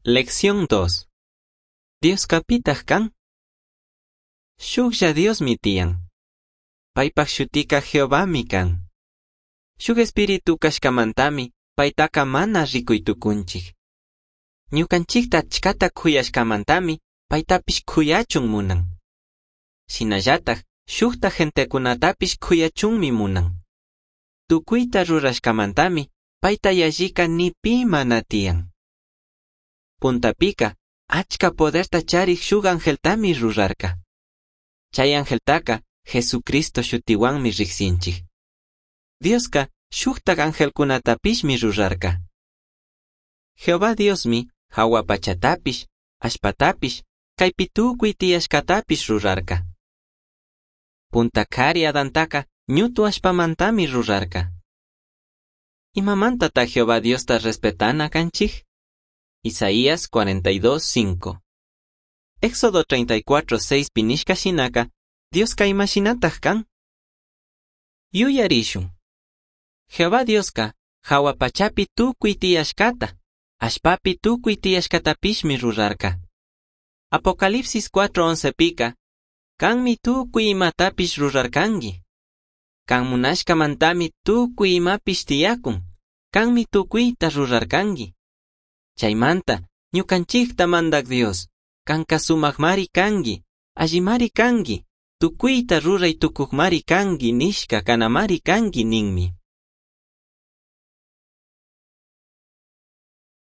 Lección 2. Diosca pitaj can? Shujlla Diosmi tiyan. Paipaj shutica Jehovami can. Shuj espíritu cashcamantami paitaca mana ricui tucunchij. Ñucanchijta achcata c'uyashcamantami paitapish c'uyachun munan. Shinallataj shujtaj gentecunatapish c'uyachunmi munan. Tucuita rurashcamantami paita yallica ni pi mana tiyan. Puntapica achca poderta charij shuj angeltami rurarca. Chay angeltaca Jesucristo shutihuanmi rijsinchij. Diosca shujtaj angelcunatapishmi rurarca. Jehová Diosmi jahua pachatapish, allpatapish, caipi tucui tiyashcatapish rurarca. Punta cari Adantaca ñutu allpamantami rurarca. Imamantata Jehová Diosta respetana canchij? Isaías 42:5. Éxodo 34:6 nishca shinaca, Diosca ima shinataj can? Yuyarishun. Jehová Diosca jahua pachapi tucui tiyashcata, allpapi tucui tiyashcatapishmi rurarca. Apocalipsis 4:11 pica, Canmi tucui imatapish rurarcangui. Can munashcamantami tucui imapish tiyacun, canmi tucuita rurarcangui. Chaimanta, ñucanchijta Mandaj Dios, canca sumajmari cangui, allimari cangui, tucuita rurai tucujmari cangui nishca canamari cangui ninmi.